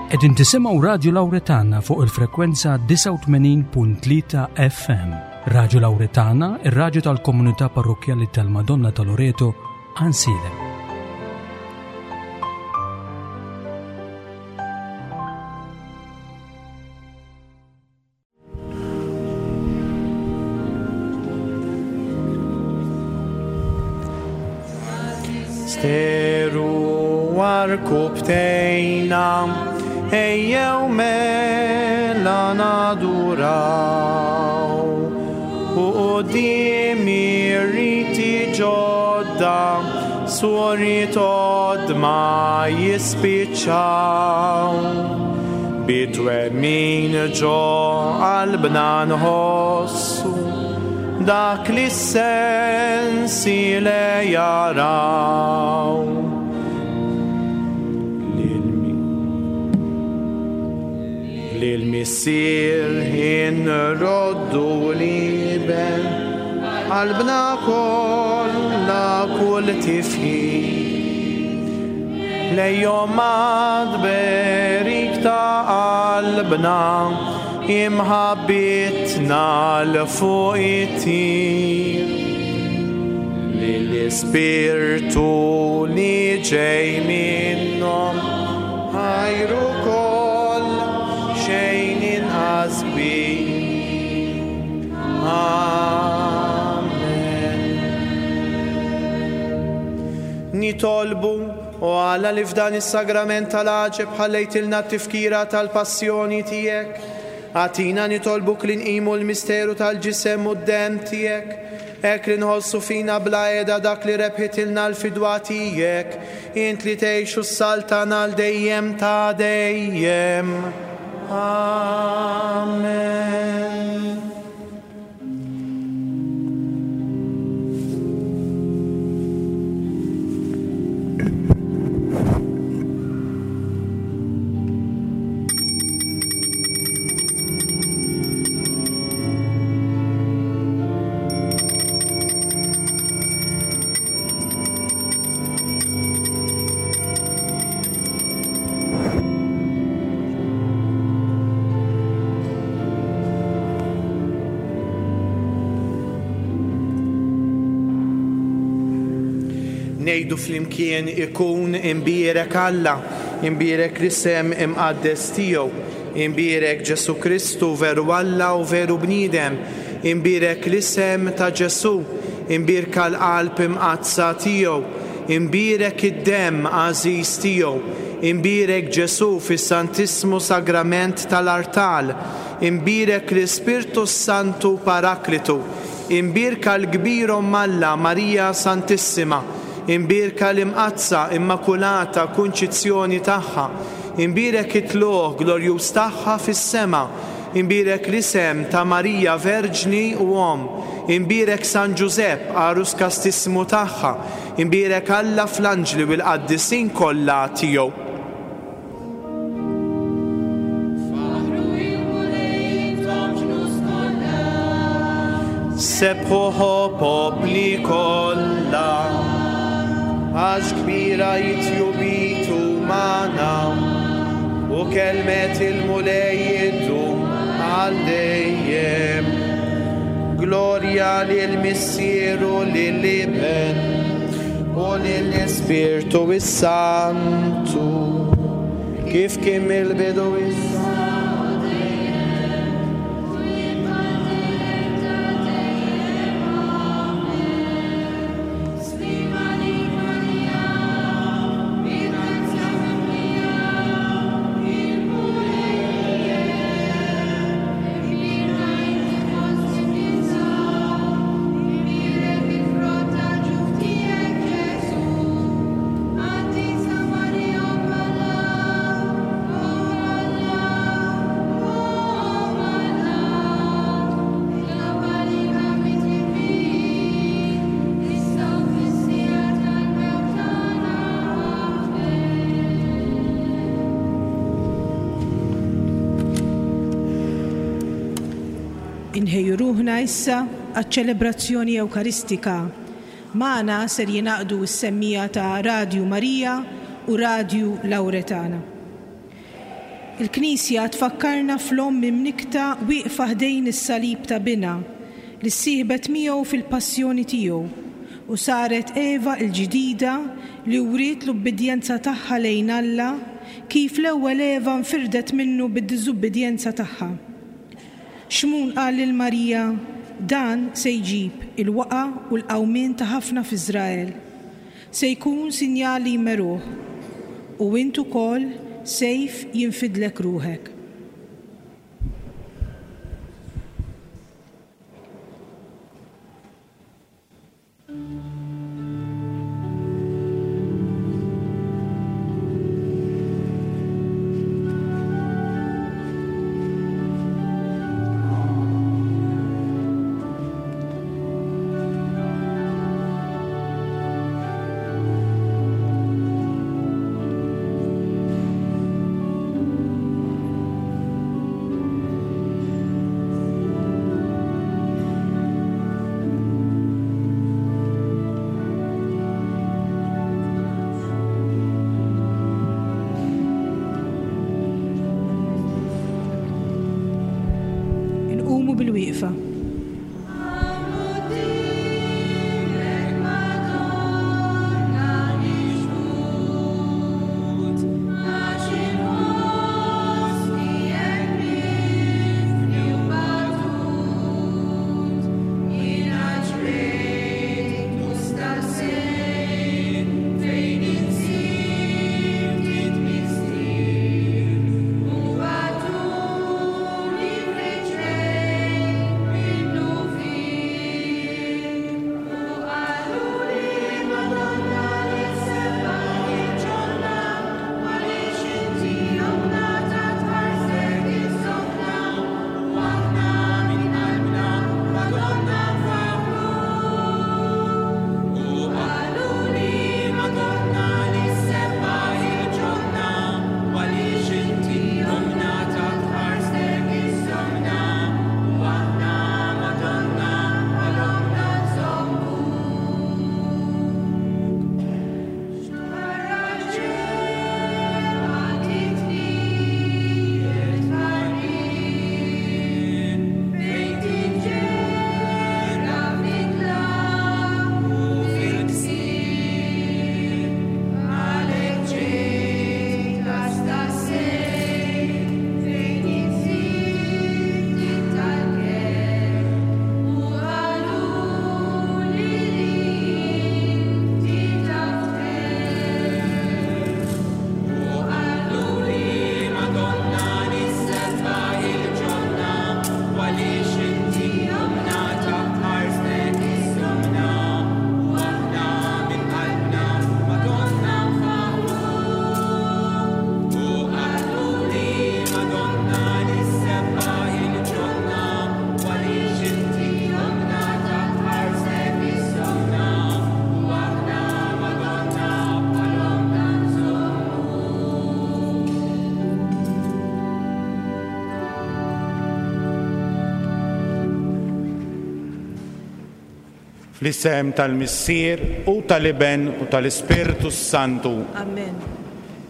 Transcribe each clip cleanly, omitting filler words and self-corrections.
Qegħdin tisimgħu Radju Lawretana fuq il-frekwenza 89.3 FM. Radju Lawretana, ir-radju tal-komunità parrokkjali tal-Madonna ta' Loreto, Ansilem. Steru arkubtejna ejjew mela naduraw u qudiem ir-riti ġodda suriet ma jispiċċaw. Bi twemmin ġo qalbna nħossu dak li s-sensi le jaraw. Lil-Missier inroddu l-Iben, qalbna kollha kull tifħir. Lejhom tberik ta' qalbna, imħabbitna 'l fuq ittir. Lill-Ispirtu li ġej minnhom, ħajru koll xejn inqas kbir. Amen. Nitolbu, o Alla li f'dan is-sagrament tal-għaġeb ħallejtilna t-tifkira tal-passjoni tiegħek, agħtina nitolbuk li nqimu l-misteru tal-ġisem u d-demm tiegħek, hekk li nħossu fina bla qiegħda dak li rebħitilna l-fidwa tiegħek, int li tgħix u ssaltan għal dejjem ta' dejjem. Amen. Ngħidu flimkien ikun imbierek Alla, imbierek l-isem imqaddes tiegħu, imbierek Ġesù Kristu veru Alla u veru bniedem, imbierek l-isem ta' Ġesù, imbierka l-qalb imqaddsa tiegħu, imbierek id-demm għażiż tiegħu, imbierek Ġesù fis-Santissmu Sagrament tal-artal, imbierek l-Ispirtu s-Santu Paraklitu, imbierka l-kbir Omm Alla Marija Santissima, imbierka l-Imqaddsa Immakulata Kunċizzjoni tagħha, imbierek it-tlugħ glorjuż tagħha fis-sema, imbierek l-isem ta' Marija Verġni u Omm, imbierek San Ġużepp għarus kastissimu tagħha, imbierek Alla fl-anġli u l-qaddisin kollha tiegħu. Faħru il-Mulej intom ġnus kollha. Sebħuh o popli kollha, għax kbira hi tjubitu magħna, u kelmet il-Mulej iddum għal dejjem. Glorja lill-Missier u lill-Iben u lill-Ispirtu s-Santu, kif kien mill-bidu issa u dejjem, u jibqa' dejjem ta' dejjem. Amen. Sliem għalik Marija, bi grazzja mimlija, il-Mulej miegħek. Imbierka inti fost in-nisa, imbierek il-frott tal-ġuf tiegħek Ġesù. Qaddisa Marija Omm Alla, Omm Alla, Omm Alla, itlob għalina midinbin, issa u fis-siegħa tal-mewt tagħna. Amen. Inħejju ruħna issa għaċ-ċelebrazzjoni Ewkaristika. Magħna ser jingħaqdu s-semmiegħa ta' Radju Marija u Radju Lawretana. Il-Knisja tfakkarna fl-Omm imnikkta wieqfa ħdejn is-salib ta' Binha, li ssieħbet miegħu fil-passjoni tiegħu, u saret Eva l-ġdida li wriet l-ubbidjenza tagħha lejn Alla kif l-ewwel Eva nfirdet minnu bid-diżubbidjenza tagħha. Xmun qal lil Marija, Dan se jġib il-waqgħa u l-qawmien ta' ħafna f'Iżrael. Se jkun sinjal li jmeruh, u int ukoll sejf jinfidlek ruħek. Inqumu bil-wieqfa. Fl-isem tal-Missier u tal-Iben u tal-Ispirtu s-Santu. Amen.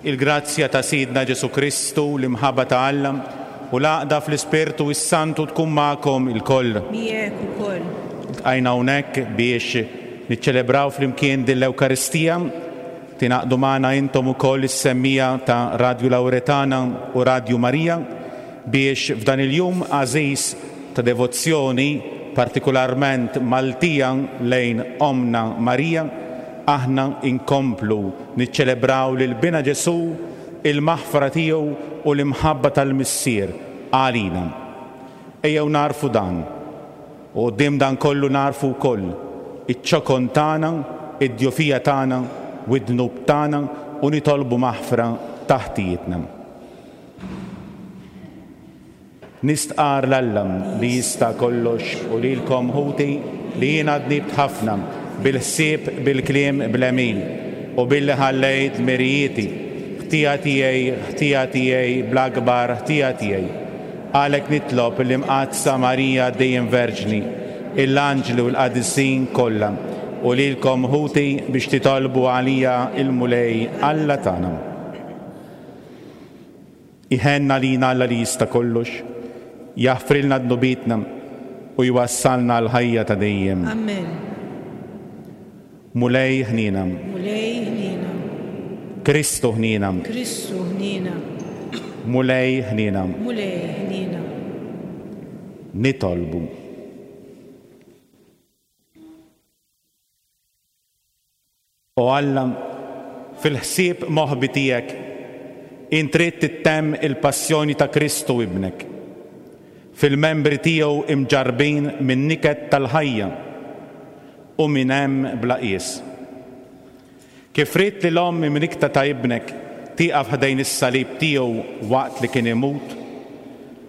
Il-grazzja ta' Sidna Ġesù Kristu, l-imħabba ta' Alla, u l-għaqda fl-Ispirtu s-Santu tkun magħkom ilkoll. Miegħek ukoll. Iltqajna hawnhekk biex niċċelebraw flimkien din l-Ewkaristija. Tingħaqdu magħna intom ukoll is-semmiegħa ta' Radju Lauretana u Radju Marija biex f'dan il-jum għażiż ta' devozzjoni partikularment Maltija lejn Ommna Marija, aħna nkomplu niċċelebraw lil Binha Ġesù, il-maħfra tiegħu u l-imħabba tal-Missier għalina. Ejjew nagħrfu dan. U quddiem dan kollu nagħrfu wkoll iċ-ċokon tagħna, id-djufija tagħna u d-dnub tagħna u nitolbu maħfra ta' ħtijietna. Nistqarr 'l Alla li jista' kollox u lilkom ħuti li jiena dnibt ħafna bil-ħsieb, bil-kliem, bl-għemil, u billi ħallejt dmirijieti, ħtija tiegħi, ħtija tiegħi, bl-akbar ħtija tiegħi. Għalhekk nitlob lill-Imqaddsa Marija dejjem Verġni, il-anġli u l-qaddisin kollha, u lilkom ħuti biex titolbu għalija l-Mulej Alla tagħna. Iħenn għalina Alla li jista' kollox, jaħfrilna dnubietna u jwassalna għall-ħajja ta' dejjem. Amen. Mulej ħniena. Mulej ħniena. Kristu ħniena. Kristu ħniena. Mulej ħniena. Mulej ħniena. Nitolbu. O Alla, fil-ħsieb moħbi tiegħek, int ridt ittemm il-passjoni ta' Kristu Ibnek, fil-membri tiegħu imġarrbin min-niket tal-ħajja u minn hemm bla qies. Kif ridt li l-Omm imnikkta ta' Ibnek tieqaf ħdejn is-salib tiegħu waqt li kien imut,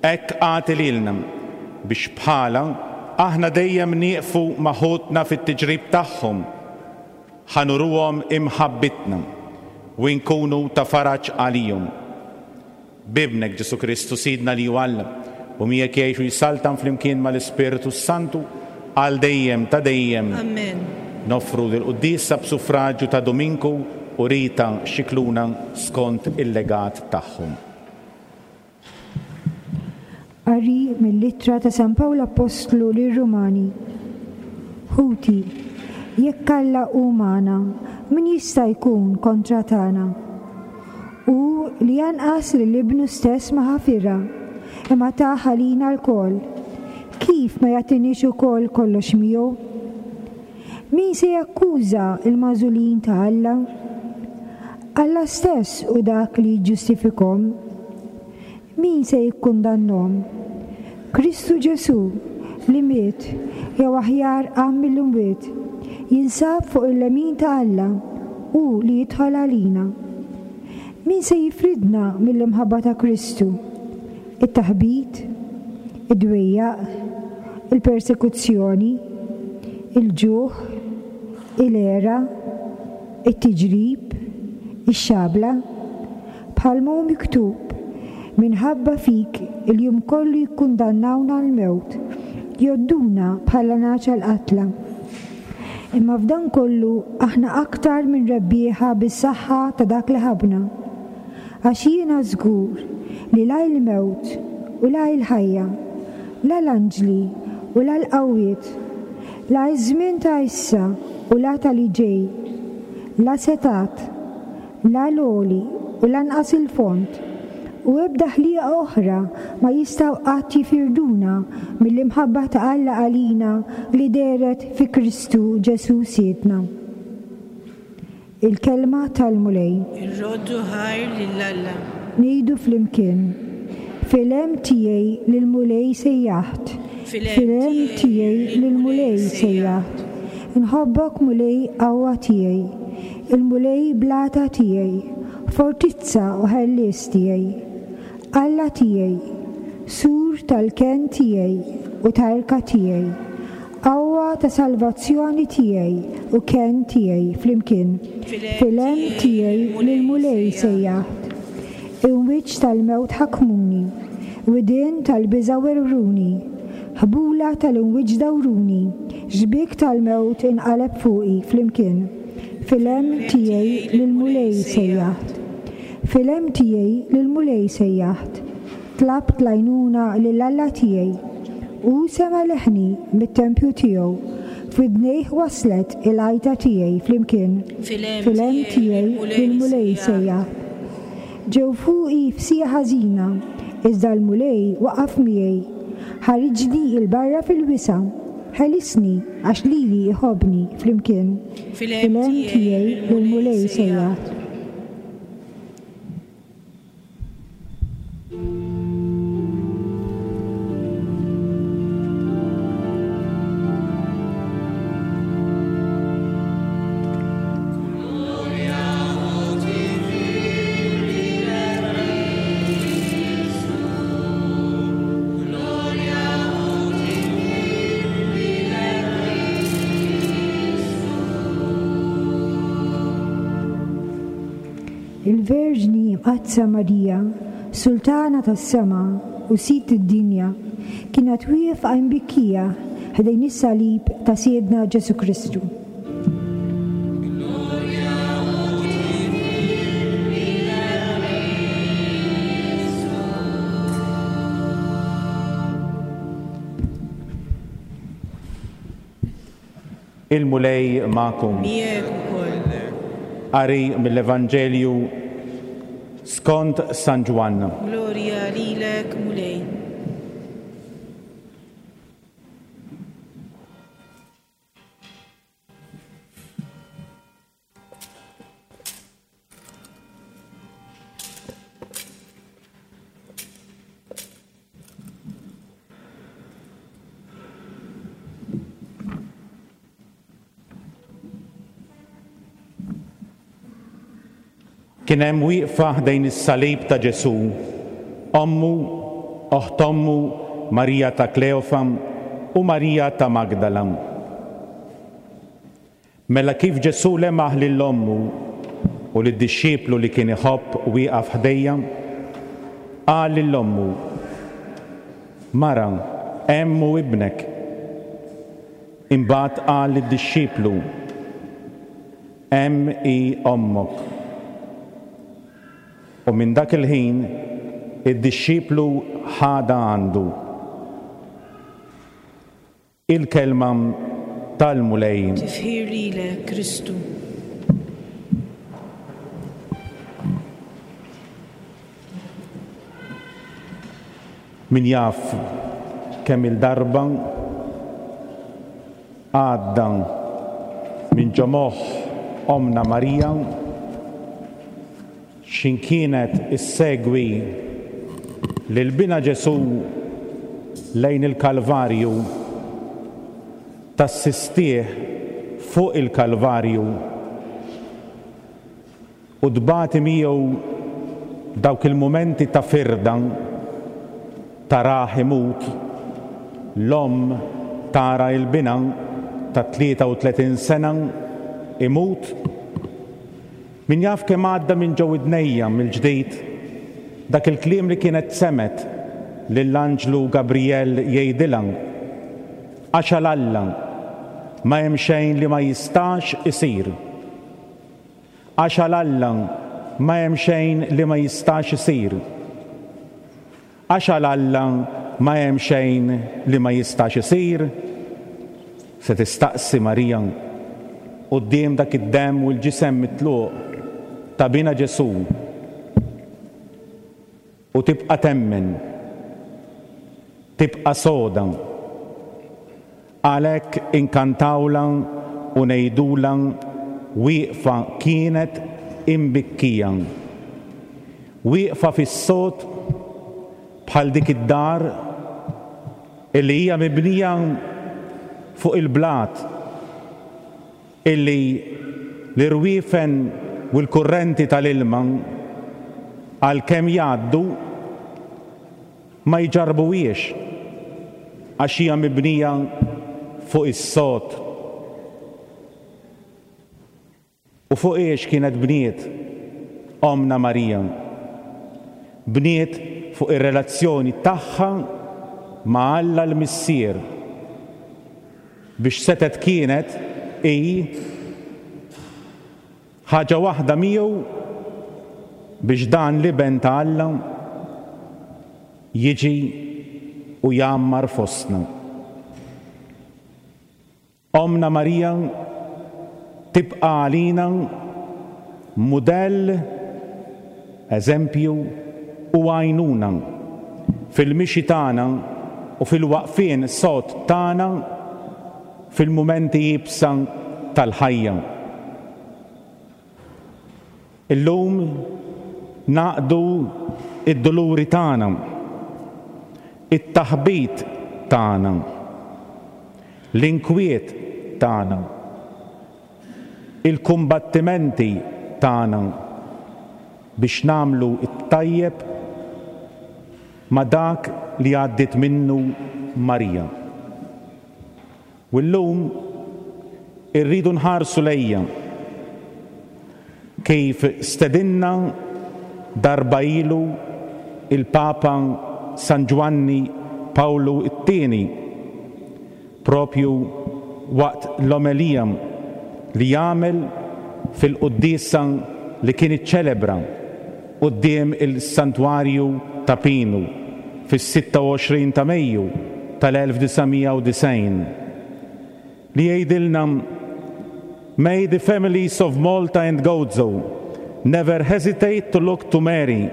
hekk agħti lilna biex bħalha aħna dejjem nieqfu ma' ħutna fit-tiġrib tagħhom, ħa nuruhom imħabbitna u nkunu ta' faraġ għalihom. B'Ibnek Ġesù Kristu Sidna li hu Alla, u miegħek jgħix u jsaltan flimkien mal-Ispirtu s-Santu għal dejjem ta' dejjem. Amen. Noffru dil-quddiesa b'suffraġju ta' Duminku u Rita Scicluna skont il-legat tagħhom. Qari mill-Ittra ta' San Pawl Appostlu lir-Rumani. Ħuti, jekk Alla hu magħna, min jista' jkun kontra tagħna? Hu li anqas lil Ibnu stess ma ħafirha, imma tah għalina lkoll, kif ma jagħtiniex ukoll kollox miegħu? Min se jakkuża l-magħżulin ta' Alla? Alla stess hu dak li jiġġustifikhom. Min se jikkundannhom? Kristu Ġesù, li miet, jew aħjar qam mill-imwiet, jinsab fuq il-lemin ta' Alla, hu li jidħol għalina. Min se jifridna mill-imħabba ta' Kristu? It-taħbit? Id-dwejjaq? Il-persekuzzjoni? Il-ġuħ? Il-għera? It-tiġrib? Ix-xabla? Bħalma hu miktub, Minħabba fik il-jum kollu jikkundannawna għall-mewt, jgħodduna bħala nagħaġ għall-qatla. Imma f'dan kollu aħna aktar minn rebbieħa bis-saħħa ta' dak li ħabbna. Għax jiena żgur li la il-mewt u la il-ħajja, la l-anġli u la l-qawwiet, la ż-żmien ta' issa u la ta' li ġej, la setgħat, La l-għoli u lanqas il-fond, u ebda ħlieqa oħra ma jistgħu qatt jifirduna mill-imħabba ta' Alla għalina li dehret fi Kristu Ġesù Sidna. Il-Kelma tal-Mulej. Irroddu ħajr lil Alla. Ngħidu flimkien, Fil-hemm tiegħi lill-Mulej sejjaħt. Fil-hemm tiegħi lill-Mulej sejjaħt. Inħobbok Mulej qawwa tiegħi. Il-Mulej blata tiegħi, fortizza u ħellies tiegħi. Alla tiegħi, sur tal-kenn tiegħi u tarka tiegħi, qawwa ta' salvazzjoni tiegħi u kenn tiegħi flimkien. Fil-hemm tiegħi lill-Mulej sejjaħt. Imwieġ tal-mewt ħakmuni, widien tal-biża' werwruni, ħbula tal-imwieġ dawruni, xbiek tal-mewt inqaleb fuqi, flimkien. Fil-hemm tiegħi lill-Mulej sejjaħt. Fil-hemm tiegħi lill-Mulej sejjaħt. Tlabt l-għajnuna lil Alla tiegħi. Hu sema' leħni mit-tempju tiegħu, f'widnejh waslet il-għajta tiegħi, flimkien. Fil-hemm tiegħi lill-Mulej sejjaħt. Ġew fuqi f'siegħa ħażina, iżda l-Mulej waqaf miegħi. Ħariġni 'l barra fil-wisa', ħelisni għax lili jħobbni, flimkien. Fil-hemm tiegħi lill-Mulej sejjaħt. Il-Verġni Mqaddsa Marija, Sultana tas-sema u Sid id-dinja, kienet wieqfa imbikkija ħdejn is-salib ta' Sidna Ġesù Kristu. Il-Mulej magħkom. Miegħek ukoll. Qari mill-Evanġelju skont San Ġwann. Glorja lilek, Mulej. Kien hemm wieqfa ħdejn is-salib ta' Ġesù, ommu, oħt ommu, Marija ta' Kleofa u Marija ta' Magdala. Mela kif Ġesù lemaħ lil ommu u lid-dixxiplu li kien iħobb wieqaf ħdejha, qal lil ommu, Mara, hemm hu ibnek. Imbagħad qal lid-dixxiplu, Hemm hi ommok. U minn dak il-ħin id-dixxiplu ħadha għandu. Il-Kelma tal-Mulej. Tifħir lilek, Kristu. Min jaf kemm-il darba għadda minn ġo moħħ Ommna Marija X'in kienet issegwi lil Binha Ġesù lejn il-Kalvarju, tassistih fuq il-Kalvarju u tbati miegħu dawk il-mumenti ta' firda, tarah imut, l-omm tara 'l binha ta' 33 sena imut. Min jaf kemm għadda minn ġo widnejja mill-ġdid dak il-kliem li kienet semgħet lill-anġlu Gabrijel jgħidilha, Għax għal Alla ma hemm xejn li ma jistax isir. Għax għal Alla ma hemm xejn li ma jistax isir. Għax għal Alla ma hemm xejn li ma jistax isir? Se tistaqsi Marija quddiem dak id-demm u l-ġisem mitluq ta' Binha Ġesù u tibqa' temmen, tibqa' soda. Għalhekk inkantawlha u ngħidulha wieqfa kienet imbikkija. Wieqfa fis-sod bħal dik id-dar illi hija mibnija fuq il-blat illi l-irwiefen u l-kurrenti tal-ilma għalkemm jgħaddu Ma jġarrbuhiex għax hija mibnija fuq is-sod. U fuq hiex kienet bniet Ommna Marija? Bniet fuq ir-relazzjoni tagħha ma' Alla l-Missier biex setgħet kienet hi Ħaġa waħda miegħu biex dan l-Iben ta' Alla jiġi u jgħammar fostna. Ommna Marija tibqa' għalina mudell, eżempju u għajnuna fil-mixi tagħna u fil-waqfien sod tagħna fil-mumenti iebsa tal-ħajja. Illum ngħaqqdu d-duluri tagħna, it-taħbit tagħna, l-inkwiet tagħna, il-kumbattimenti tagħna biex nagħmlu t-tajjeb ma' dak li għaddiet minnu Marija. U llum irridu nħarsu lejha kif stedinna darba ilu il-Papa San Ġwanni Pawlu t-Tieni propju waqt l-omelija li għamel fil-quddiesa li kien iċċelebra quddiem il-Santwarju ta' Pinu fis-26 ta' Mejju tal-1990, li jgħidilna. May the families of Malta and Gozo never hesitate to look to Mary,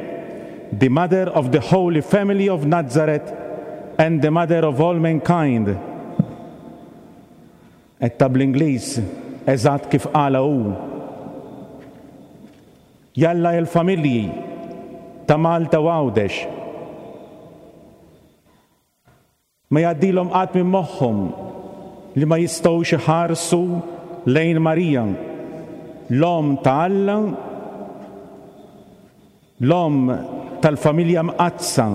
the mother of the Holy Family of Nazareth and the mother of all mankind. Għedtha bl-Ingliż eżatt kif qalha hu. Jalla il-familji ta' Malta u Għawdex ma jgħaddilhom qatt minn moħħhom li ma jistgħux iħarsu lejn Marija, l-Omm ta' Alla, l-Omm tal-familja mqaddsa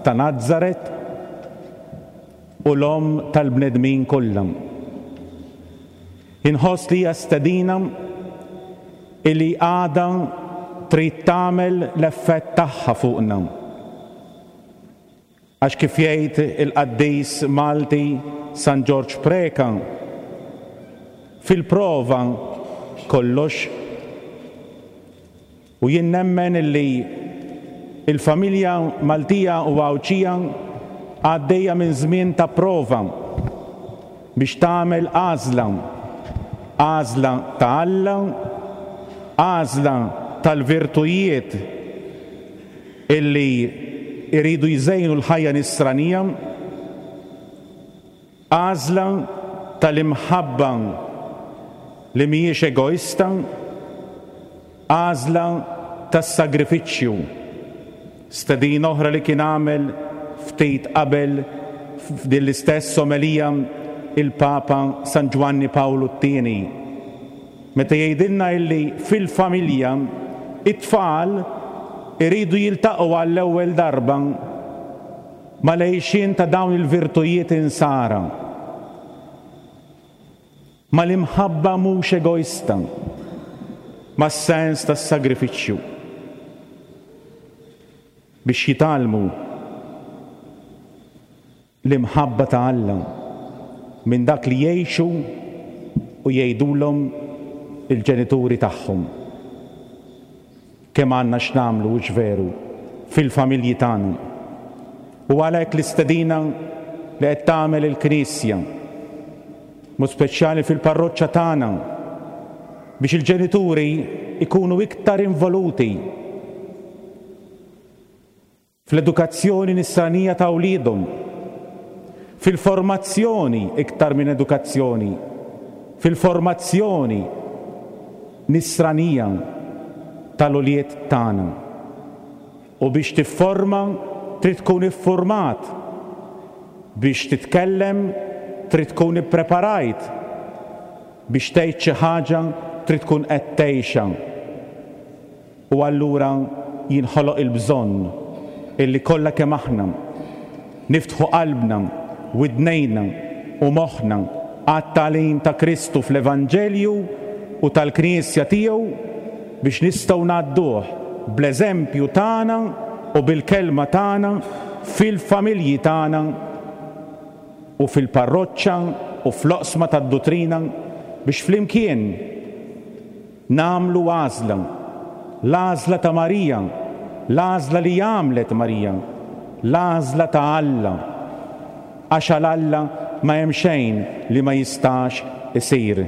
ta' Nazaret u l-Omm tal-bnedmin kollha. Inħoss li hija stedina li għadha trid tagħmel l-effett tagħha fuqna. Għax kif jgħid il-qaddis Malti San Ġorġ Preca, fil-prova kollox. U jien nemmen illi l-familja Maltija u Għawdxija għaddejja minn żmien ta' prova biex tagħmel għażla, għażla ta' Alla, għażla tal-virtujiet illi jridu jżejnu l-ħajja nisranija, għażla tal-imħabba li mhijiex egoista, għażla tas-sagrifiċċju, stedina oħra li kien għamel ftit qabel f'din l-istess omelija il-Papa San Ġwanni Pawlu t-Tieni. Meta jgħidilna illi fil-familja it-tfal iridu jiltaqgħu għall-ewwel darba mal-għixien ta' dawn il-virtujiet insara, mal-imħabba mhux egoista, mas-sens tas-sagrifiċċju, biex jitgħallmu l-imħabba ta' Alla minn dak li jgħixu u jgħidulhom il-ġenituri tagħhom. Kemm għandna x'nagħmlu, hux veru, fil-familji tagħna. U għalhekk l-istedina li qed tagħmel il-Knisja, mod speċjali fil-parroċċa tagħna, biex il-ġenituri jkunu iktar involuti fl-edukazzjoni nisranija ta' wliedhom, fil-formazzjoni iktar minn edukazzjoni, fil-formazzjoni nisranija tal-ulied tagħna. U biex tifforma trid tkun iffurmat, biex titkellem trid tkun ippreparajt, biex tgħid xi ħaġa trid tkun qed tgħixha. U allura jinħoloq il-bżonn illi kollha kemm aħna niftħu qalbna, widnejna u moħħna għat-tagħlim ta' Kristu fl-Evanġelju u tal-Knisja tiegħu biex nistgħu ngħadduh bl-eżempju tagħna u bil-kelma tagħna fil-familji tagħna u fil-parroċċa u fl-oqsma tad-duttrina biex flimkien Nagħmlu għażla. L-għażla ta' Marija, l-għażla li għamlet Marija, l-għażla ta' Alla. Għax għal Alla ma hemm xejn li ma jistax isir.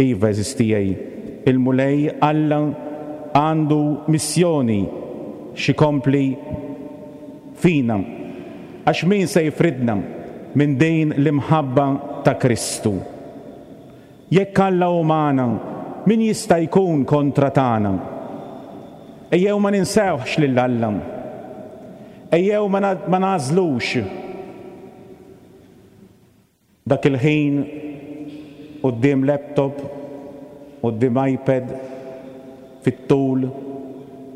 Iva, għeżież tiegħi, il-Mulej Alla għandu missjoni x'ikompli fina. Għax min se jifridna minn din l-imħabba ta' Kristu? Jekk Alla hu magħna, min jista' jkun kontra tagħna? Ejjew ma ninsewhx lil Alla. Ejjew ma nagħżlux dak il-ħin quddiem laptop, quddiem iPad, fit-tul,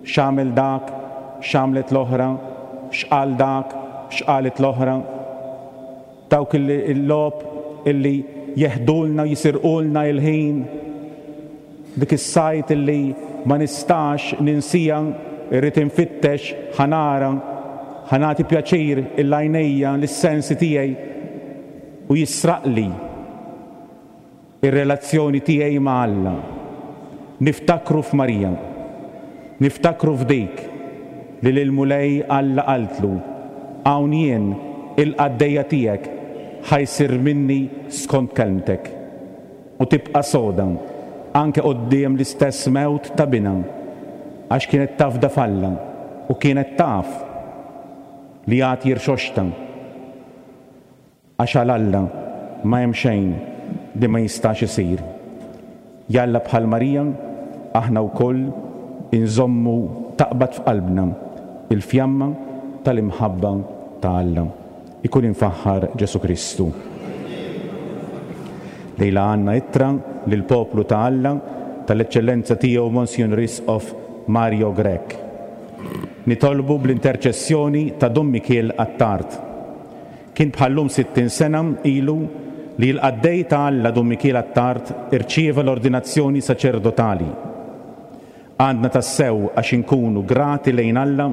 x'għamel dak, x'għamlet l-oħra, x'qal dak, x'qalet l-oħra. Dawk il-logħob illi jeħdulna u jisirqulna il-ħin, dik is-sajt illi ma nistax ninsija, irrid infittex, ħa nara, ħa nagħti pjaċir 'il għajnejja, lis-sensi tiegħi u jisraqli ir-relazzjoni tiegħi ma' Alla. Niftakru f'Marija. Niftakru f'dik li lill-Mulej Alla qaltlu, Hawn jien, il-qaddejja tiegħek, ħa jsir minni skont kelmtek. u tibqa' soda anke quddiem l-istess mewt ta' binha għax kienet tafda f'Alla u kienet taf li għad jirxoxta għax għal Alla ma hemm xejn li ma jistax isir. Jalla bħal Marija aħna wkoll inżommu taqbad f'qalbna l-fjamma tal-imħabba ta' Alla. Ikun imfaħħar Ġesù Kristu. Lejla għandna ittra lill-poplu ta' Alla tal-Eċċellenza Tiegħu Monsinjur Isqof Mario Grech. Nitolbu bl-interċessjoni ta' Dun Mikiel Attard. Kien bħal-lum 60 sena ilu li l-qaddej ta' Alla Dun Mikiel Attard irċieva l-ordinazzjoni saċerdotali. Għandna tassew għax inkunu grati lejn Alla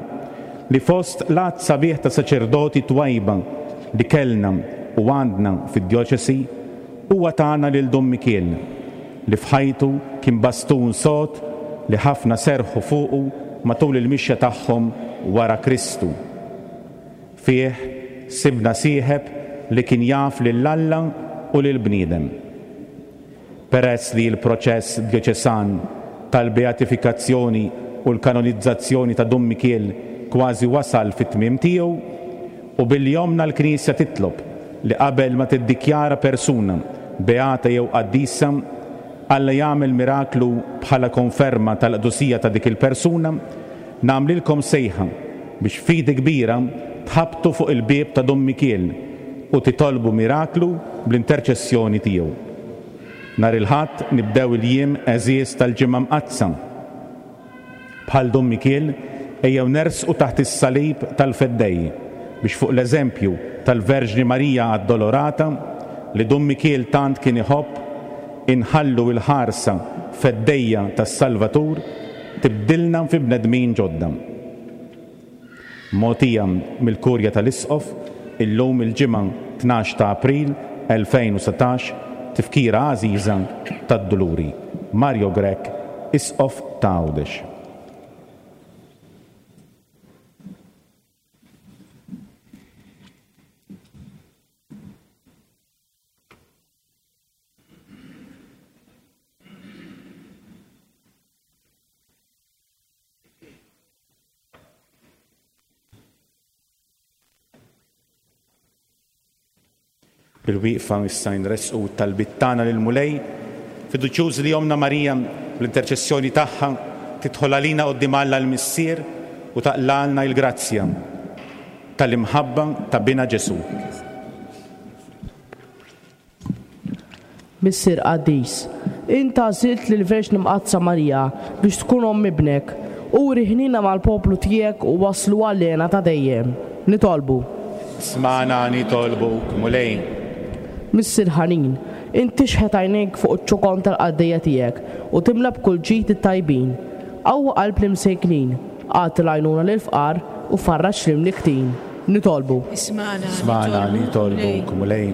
li fost l-għadd sabiħ ta' saċerdoti twajba li kellna u għandna fid-djoċesi, huwa tana lil Dun Mikiel, li f'ħajtu kien bastun sod li ħafna serrħu fuqu matul il-mixja tagħhom wara Kristu. Fih sibna sieħeb li kien jaf lil Alla u lill-bniedem. Peress li l-proċess djoċesan tal-beatifikazzjoni u l-kanonizzazzjoni ta' Dun Mikiel kważi wasal fit-tmiem tiegħu, u billi Ommna l-Knisja titlob li qabel ma tiddikjara persuna beata jew qaddisa, Alla jagħmel miraklu bħala konferma tal-qdusija ta' dik il-persuna, nagħmlilkom sejħa biex b'fidi kbira tħabbtu fuq il-bieb ta' Dun Mikiel u titolbu miraklu bl-interċessjoni tiegħu. Nhar il-Ħadd nibdew il-jiem għeżież tal-Ġimgħa Mqaddsa. Bħal Dun Mikiel, ejjew nersqu taħt is-salib tal-Feddej biex fuq l-eżempju tal-Verġni Marija Addolorata, li Dun Mikiel tant kien iħobb, inħallu l-ħarsa feddejja tas-Salvatur tibdilna fi bnedmin ġodda. Mogħtija mill-Kurja tal-Isqof, illum il-Ġimgħa 12 ta' April 2019, tifkira għażiża tad-Duluri. Mario Grech, Isqof ta' Għawdex. Bil-wieqfa issa nressqu t-talbiet tagħna lill-Mulej, fiduċjużi li Ommna Marija, bl-interċessjoni tagħha, tidħol għalina quddiem Alla l-Missier u taqlgħalna l-grazzja tal-imħabba ta' Binha Ġesù. Missier qaddis, int għażilt lill-Verġni Mqaddsa Marija biex tkun omm Ibnek. Uri ħniena mal-poplu tiegħek u wasslu għall-hena ta' dejjem. Nitolbu. Smagħna nitolbuk, Mulej. Missier ħanin, int tixħet għajnejk fuq iċ-ċokon tal-qaddejja tiegħek u timla b'kull ġid it-tajbin. Qawwi qalb l-imsejknin, agħti l-għajnuna lill-fqar u farraġ l-imnikktin. Nitolbu. Ismagħna nitolbuk, Mulej.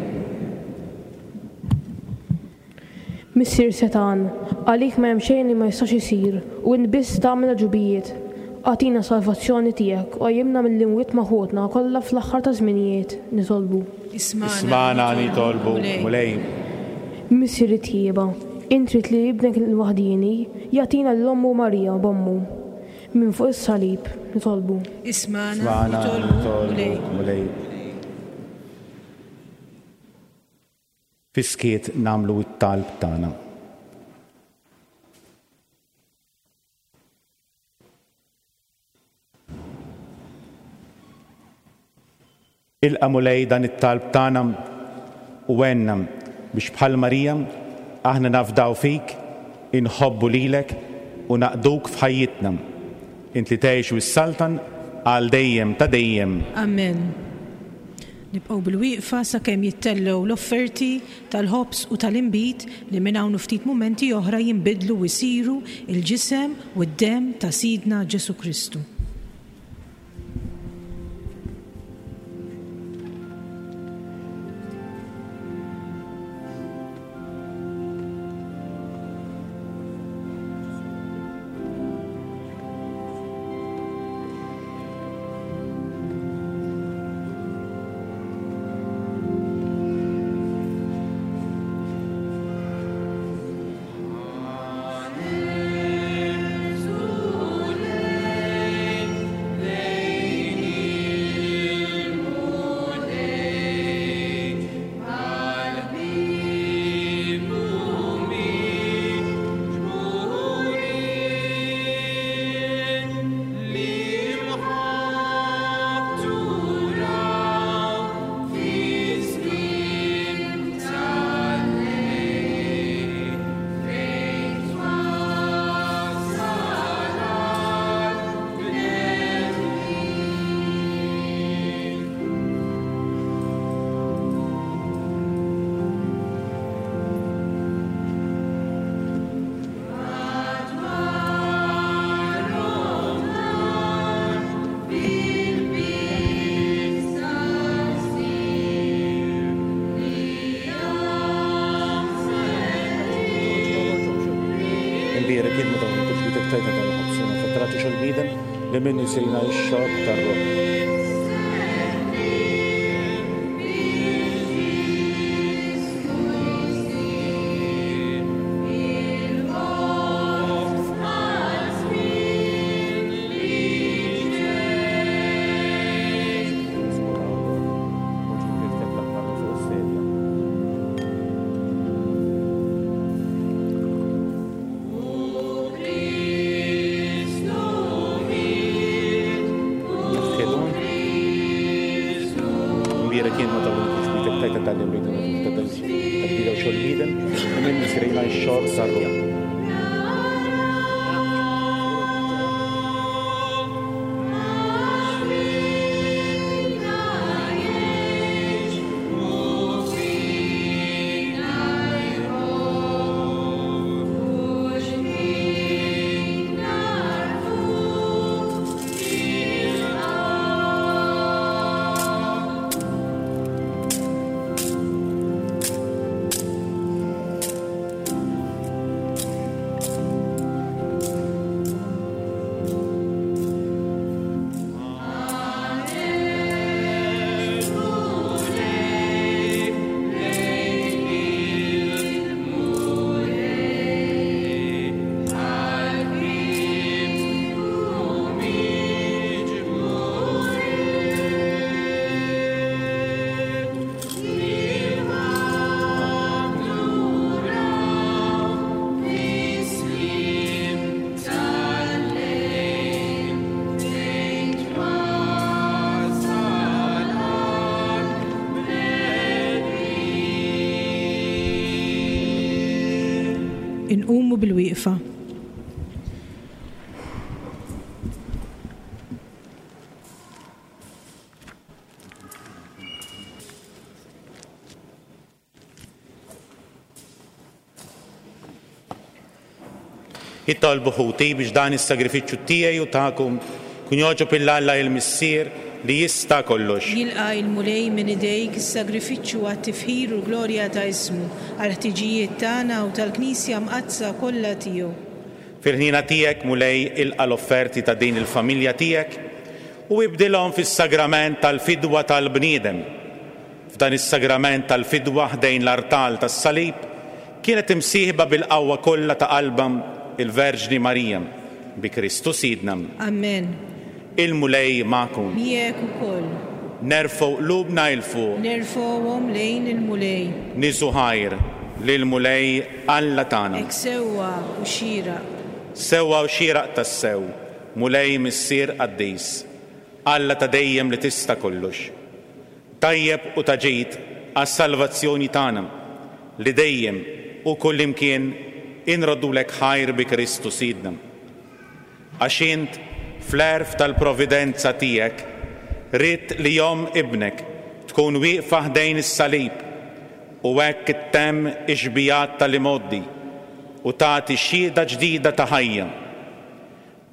Missier setgħan, għalik ma hemm xejn li ma jistax isir u int biss tagħmel għaġubijiet. Agħtina s-salvazzjoni tiegħek u qajjimna mill-imwiet ma' ħutna kollha fl-aħħar taż-żminijiet. Nitolbu. Ismagħna nitolbuk, Mulej. Missier it-tjieba, int ridt li Ibnek il-waħdieni jagħtina lil ommu Marija b'ommu. Minn fuq is-salib, nitolbu. Ismagħna, nitolbuk, Mulej. Fis-skiet nagħmlu t-talb tagħna. Ilqa' Mulej dan it-talb tagħna u għenna biex bħal Marija aħna nafdaw fik, inħobbu lilek u naqduk f'ħajjitna. Int li tgħix u ssaltan għal dejjem ta' dejjem. Amen. Nibqgħu bilwieqfa sakemm jittellgħu l-offerti tal-ħobż u tal-inbid li minn hawn u ftit mumenti oħra jinbidlu u jsiru l-ġisem u d-demm ta' Sidna Ġesù Kristu. Kull tajta tal-ħobż, fattarati xol-bniedem li minnu jsirina x-xorb tar-ruħ. Inqumu bil-wieqfa. Itolbu ħuti biex dan is-sagrifiċċju tiegħi u tagħkom kun jogħġob 'il Alla il-Missier li jista' kollox. Jilqa' il-Mulej minn idejk is-sagrifiċċju għat-tifħir u l-glorja ta' ismu, għall-ħtiġijiet tagħna u tal-Knisja Mqaddsa kollha tiegħu. Fil-ħniena tiegħek, Mulej, ilqa' l-offerti ta' din il-familja tiegħek u ibdilhom fis-sagrament tal-fidwa tal-bniedem. F'dan is-sagrament tal-fidwa ħdejn l-artal tas-salib kienet imsieħba bil-qawwa kollha ta' qalbha il-Verġni Marija, bi Kristu Sidna. Amen. Il-Mulej magħkom. Miegħek ukoll. Nerfgħu qlubna 'il fuq. Nerfgħuhom lejn il-Mulej. Niżu ħajr lill-Mulej Alla tagħna. Hekk sewwa u xieraq. Sewwa u xieraq tassew, Mulej Missier qaddis, Alla ta' dejjem li tista' kollox. Tajjeb u ta' ġid għas-salvazzjoni tagħna, li dejjem u kullimkien inroddulek ħajr bi Kristu Sidna. Għax int, fl-għerf tal-providenza tiegħek, ridt li omm Ibnek tkun wieqfa ħdejn is-salib u hekk ittemm ix-xbigħat tal-imgħoddi u tagħti xhieda ġdida ta' ħajja.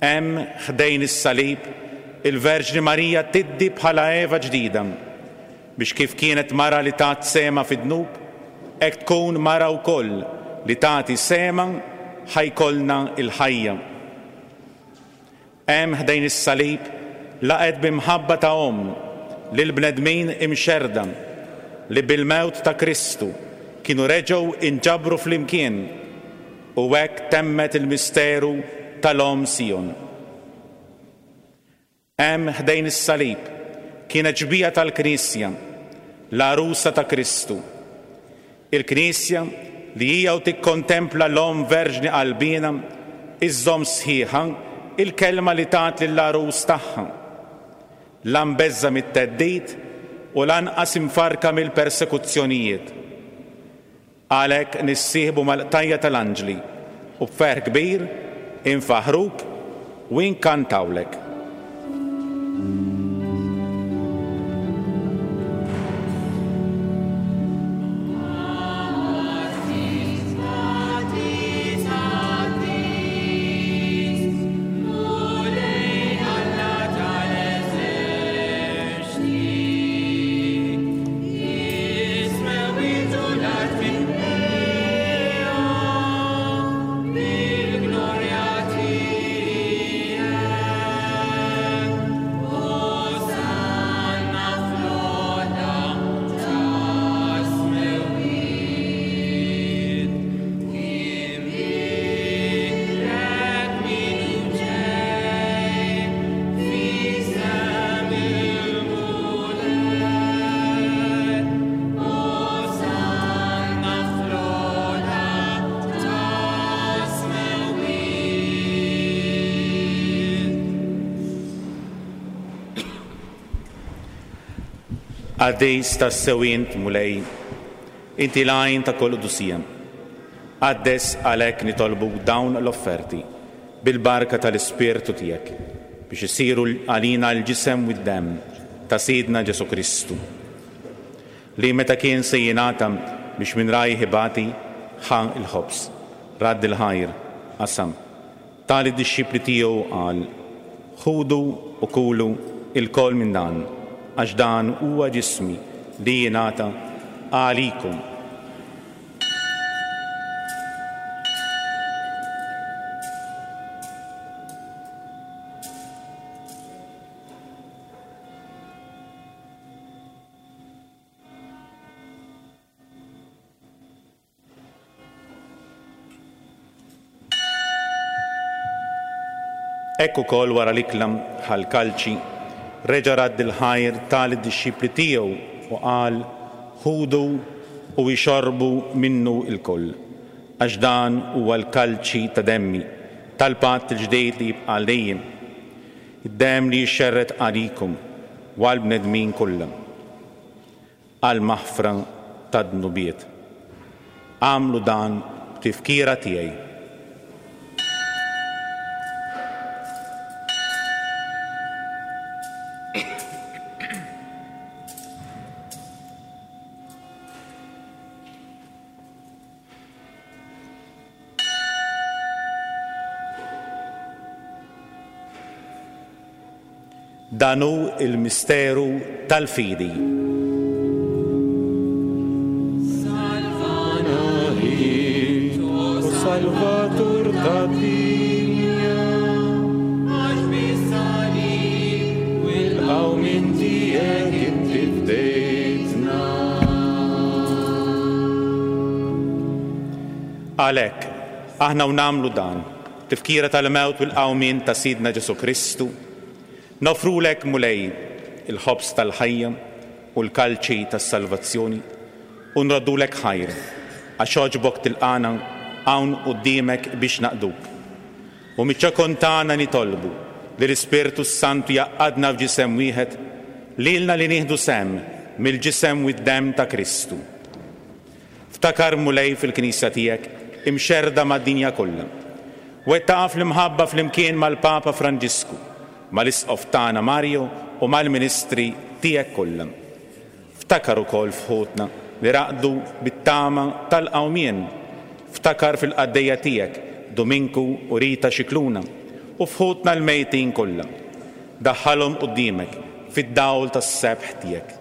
Hemm, ħdejn is-salib, il-Verġni Marija tiddi bħala Eva ġdida, biex kif kienet mara li tat sehemha fid-dnub, hekk tkun mara wkoll li tagħti sehemha ħa jkollna l-ħajja. Hemm, ħdejn is-salib, laqgħet bi mħabba ta' omm lill-bnedmin imxerrda li bil-mewt ta' Kristu kienu reġgħu inġabru flimkien, U hekk temmet il-misteru tal-Omm Sijon. Hemm ħdejn is-salib kienet xbieha tal-Knisja, l-għarusa ta' Kristu. Il-Knisja li hija u tikkontempla l-Omm Verġni qalbiena iżżomm sħiħa il-kelma li tat lill-għarus tagħha, la mbeżża' mit-theddid u lanqas imfarrka mill-persekuzzjonijiet. Għalhekk nissieħbu mal-qtajja' tal-anġli u b'ferħ kbir infaħħruk u inkantawlek. Qaddis tassew int, Mulej, inti l-għajn ta' kull qdusija. Qaddes għalhekk nitolbuk dawn l-offerti bil-barka tal-Ispirtu tiegħek, biex isiru għalina l-ġisem u d-demm ta' Sidna Ġesù Kristu, li meta kien se jingħata biex minn rajh ibati, ħa l-ħobż, radd il-ħajr, qasam, Ta lid-dixxipli tiegħu u qal, Ħudu u kulu ilkoll minn dan, għax dan huwa ġismi li jingħata għalikom. Hekk ukoll wara l-ikla ħa l-kalċi, reġa' radd il-ħajr ta lid-dixxipli tiegħu u qal, Ħudu u ixorbu minnu lkoll, għax dan huwa l-kalċi ta' demmi, tal-patt il-ġdid li jibqa' għal dejjem, id-demm li jixxerred għalikom u għall-bnedmin kollha. Għall-maħfra tad-dnubiet. Agħmlu dan b'tifkira tiegħi. Dan hu l-misteru tal-fidi. Salvana int, o Salvatur tad-dinja, għax bis-salib u l-qawmien tiegħek inti fdejtna. Għalhekk, aħna u nagħmlu dan, tifkira tal-mewt u l-qawmien ta' Sidna Ġesù Kristu, Noffrulek, Mulej, il-ħobż tal-ħajja u l-kalċi tas-salvazzjoni, u nroddulek ħajr, għax għoġbok tilqagħna hawn quddiemek biex naqduk. U miċ-ċokon tagħna nitolbu li l-Ispirtu s-Santu jgħaqqadna f'ġisem wieħed, lilna li nieħdu sehem mill-ġisem u d-demm ta' Kristu. Ftakar, Mulej, fil-Knisja tiegħek imxerrda mad-dinja kollha. Wettaqha fl-imħabba flimkien mal-Papa Franġisku, mal-Isqof tagħna Mario u mal-ministri tiegħek kollha. Ftakar ukoll f'ħutna li raqdu bit-tama tal-qawmien. Ftakar fil-qaddejja tiegħek Duminku u Rita Scicluna u f'ħutna l-mejtin kollha. Daħħalhom quddiemek fid-dawl tas-sebħ tiegħek.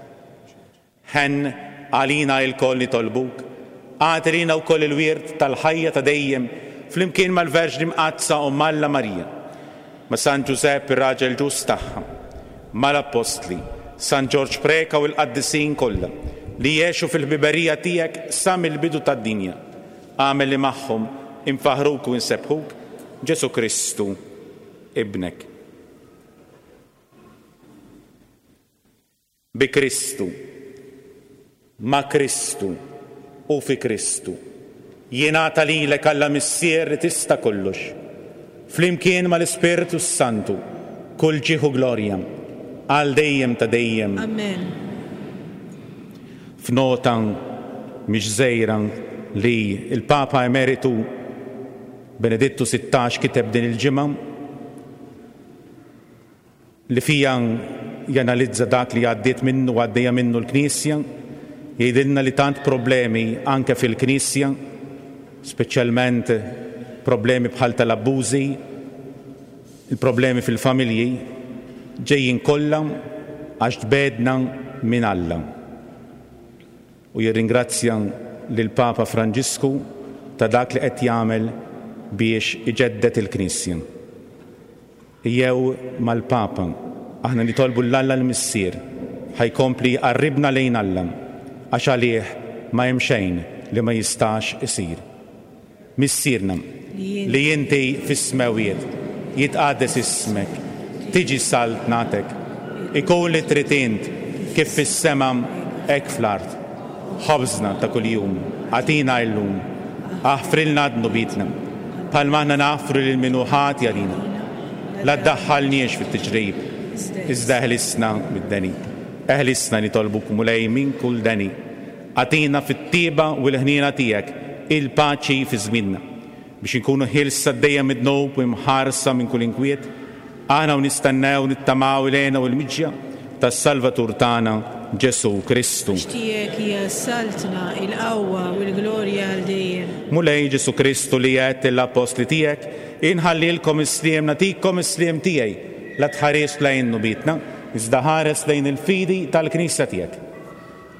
Ħenn għalina ilkoll nitolbuk, agħti lilna wkoll il-wirt tal-ħajja ta' dejjem flimkien mal-Verġni Mqaddsa Omm Alla Marija, ma' San Ġużepp ir-raġel ġust tagħha, mal-Appostli, San Ġorġ Preca u l-qaddisin kollha li għexu fil-ħbiberija tiegħek sa mill-bidu tad-dinja. Agħmel li magħhom infaħħruk u nsebbħuk, Ġesù Kristu, Ibnek. Bi Kristu, ma' Kristu u fi Kristu, jingħata lilek Alla Missier li tista' kollox, flimkien mal-Ispirtu s-Santu, kull ġieħ u glorja, għal dejjem ta' dejjem. Amen. F'nota mhix żgħira li l-Papa Emeritu Benedittu 16 kiteb din il-ġimgħa, li fiha janalizza dak li għaddiet minnu u għaddejja minnu l-Knisja, jgħidilna li tant problemi anke fil-Knisja, speċjalment problemi bħal tal-abbużi, il-problemi fil-familji, ġejjin kollha għax tbegħdna minn Alla. U jirringrazzja lill-Papa Franġisku ta' dak li qed jagħmel biex iġedded il-Knisja. Jew mal-Papa, aħna nitolbu 'l Alla l-Missier ħa jkompli jqarribna lejn Alla, għax għalih ma hemm xejn li ma jistax isir. Missierna, li inti fis-smewwiet, jitqaddes ismek, tiġi saltnatek, ikun li trid int kif fis-sema hekk fl-art. Ħobżna ta' kuljum agħtina illum. Aħfrilna dnubietna, bħalma aħna naħfru lil min hu ħati għalina. La ddaħħalniex fit-tiġrib, iżda eħlisna mid-deni. Eħlisna nitolbuk Mulej minn kull deni. Agħtina fit-tjieba u l-ħniena tiegħek il-paċi fi żmienna, biex inkunu ħielsa dejjem mid-dnub u imħarsa minn kull inkwiet, aħna u nistennew u nittamaw il-hena u l-miġja tas-Salvatur tagħna, Ġesù Kristu. Għax tiegħek hija s-saltna, il-qawwa u l-glorja għal dejjem. Mulej Ġesù Kristu li għedt lill-appostli tiegħek, Inħallilkom is-sliem, nagħtikom is-sliem tiegħi, la tħarisx lejn dnubietna, iżda ħares lejn il-fidi tal-Knisja tiegħek.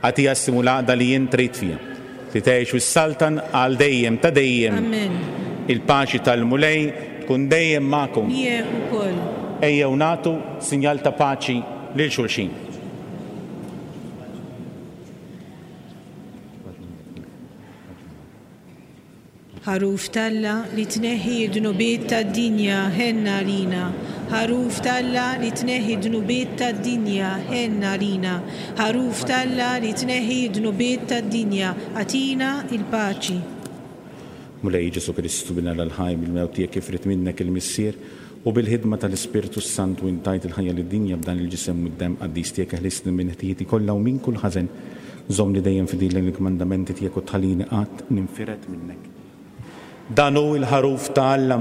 Agħtiha s-sliem u l-għaqda li int trid fiha, li tgħix u ssaltan għal dejjem ta' dejjem. Amen. Il-paċi tal-Mulej tkun dejjem magħkom. Miegħek ukoll. Ejjew nagħtu sinjal ta' paċi lil xulxin. Ħaruf t'Alla li tneħħi d-dnubiet tad-dinja, ħenn għalina. Ħaruf t'Alla li tneħħi d-dnubiet tad-dinja, ħenn għalina. Ħaruf t'Alla li tneħħi d-dnubiet tad-dinja, agħtina l-paċi. Mulej Ġesù Kristu, Bin Alla l-ħaj, bil-mewt tiegħek kif ried minnek il-Missier, u bil-ħidma tal-Ispirtu s-Santu int tajt il-ħajja lid-dinja b'dan il-Ġisem u d-Demm qaddis tiegħek eħlisni minn ħtijieti kollha u minn kull ħażen. Żommni dejjem fidil lejn il-kmandamenti tiegħek u tħallini qatt ninfired minnek. Dan hu l-Ħaruf ta' Alla,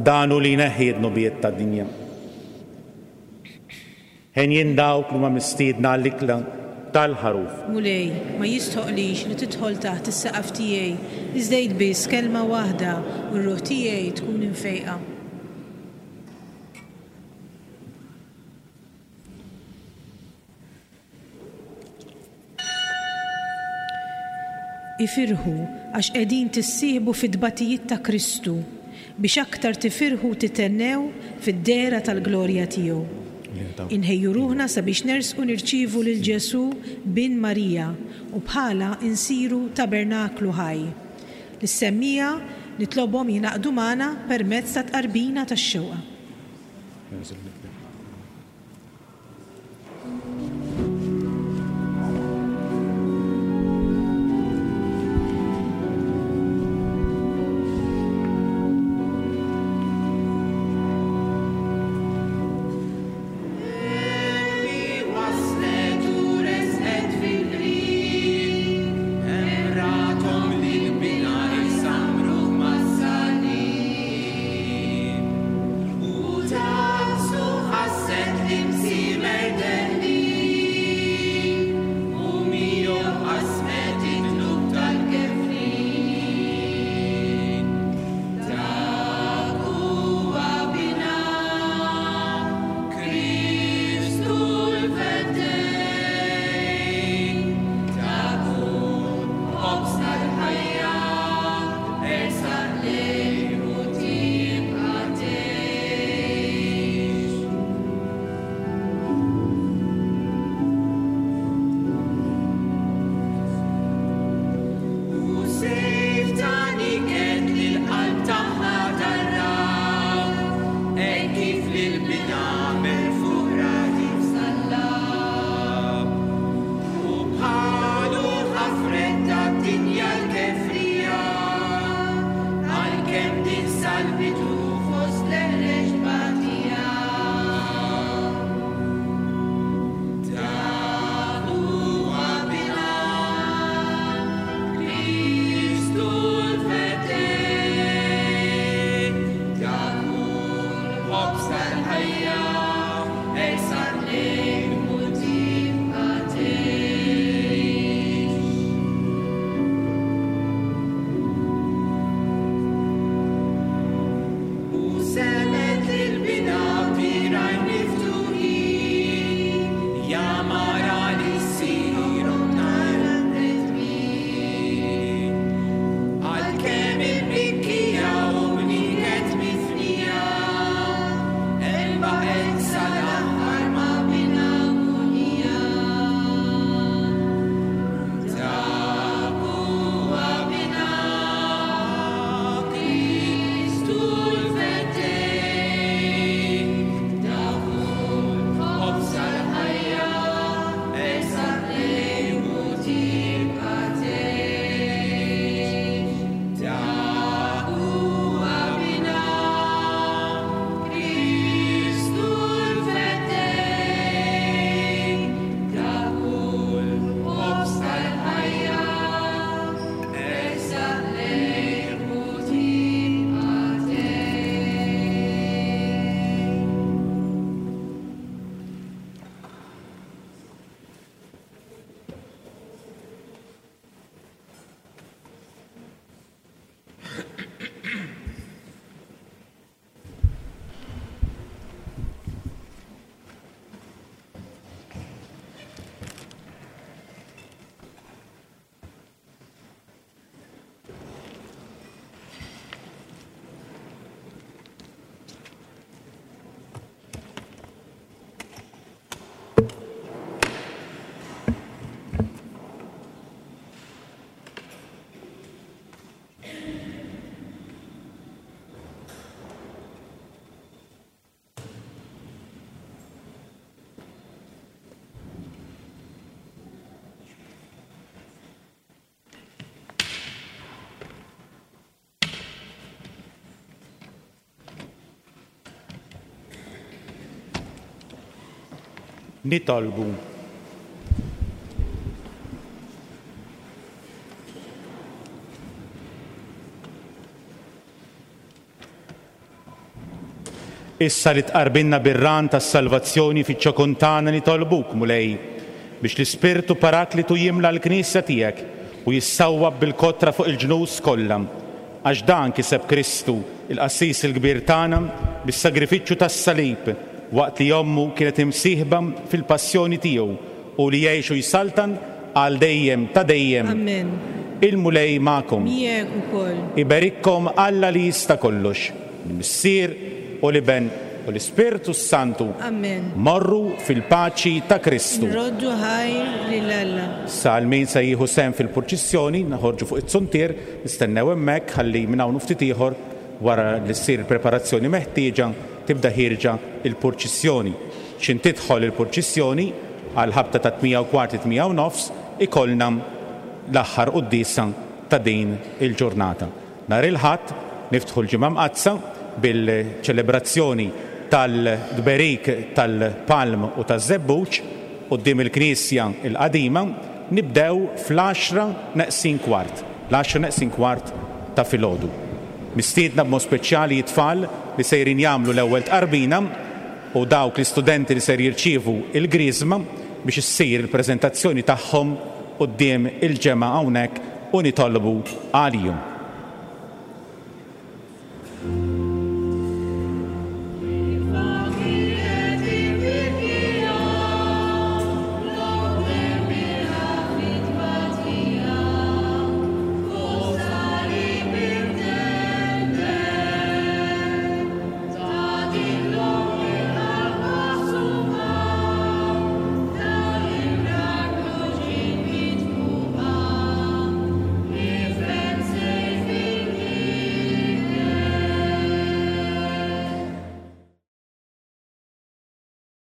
dan hu li jneħħi d-dnubiet tad-dinja. Henjin dawk li huma mistiedna għall-ikla tal-Ħaruf. Mulej, ma jistħoqqlix li tidħol taħt is-saqaf tiegħi, iżda għid biss kelma waħda u r-ruħ tiegħi tkun imfejqa. Ifirħu għax qegħdin tissieħbu fit-tbatijiet ta' Kristu, biex aktar tifirħu u tithennew fid-dehra tal-glorja tiegħu. Inħejju ruħna sabiex nersqu nirċievu lil Ġesù Bin Marija u bħalha nsiru tabernaklu ħaj. Lis-semmiegħa nitlobhom jingħaqdu magħna permezz tat-tqarbina tax-xewqa. Nitolbu. Issa li tqarbinna bir-ran tas-salvazzjoni fiċ-ċokon tagħna nitolbuk, Mulej, biex l-Ispirtu Paraklitu jimla l-Knisja tiegħek u jissawwab bil-kotra fuq il-ġnus kollha. Għax dan kiseb Kristu, il-Qassis il-Kbir tagħna, bis-sagrifiċċju tas-salib, waqt li ommu kienet imsieħba fil-passjoni tiegħu, hu li jgħix u jsaltan għal dejjem ta' dejjem. Amen. Il-Mulej magħkom. Miegħek ukoll. Iberikkom Alla li jista' kollox, il-Missier u l-Iben u l-Ispirtu s-Santu. Amen. Morru fil-paċi ta' Kristu. Nroddu ħajr lil Alla. Issa għal min se jieħu sehem fil-purċissjoni, noħorġu fuq iz-zuntier, nistennew hemmhekk ħalli minn hawn u ftit ieħor, wara li ssir il-preparazzjoni meħtieġa, tibda ħierġa l-purċissjoni. X'in tidħol il-purċissjoni, għall-ħabta tat-tmija u kwart it-tmija u nofs, ikollna l-aħħar quddiesa ta' din il-ġurnata. Nhar il-Ħadd niftħu l-Ġimgħa Mqaddsa bil-ċelebrazzjoni tal-tberik tal-palm u taż-żebbuġ quddiem il-Knisja l-Qadima. Nibdew fl-għaxra neqsin kwart, l-għaxra neqsin kwart ta' filgħodu. Mistiedna b'mod speċjali t-tfal li sejrin jagħmlu l-ewwel tqarbina u dawk l-istudenti li ser jirċievu l-griżma biex issir il-preżentazzjoni tagħhom quddiem il-ġemgħa hawnhekk u nitolbu għalihom.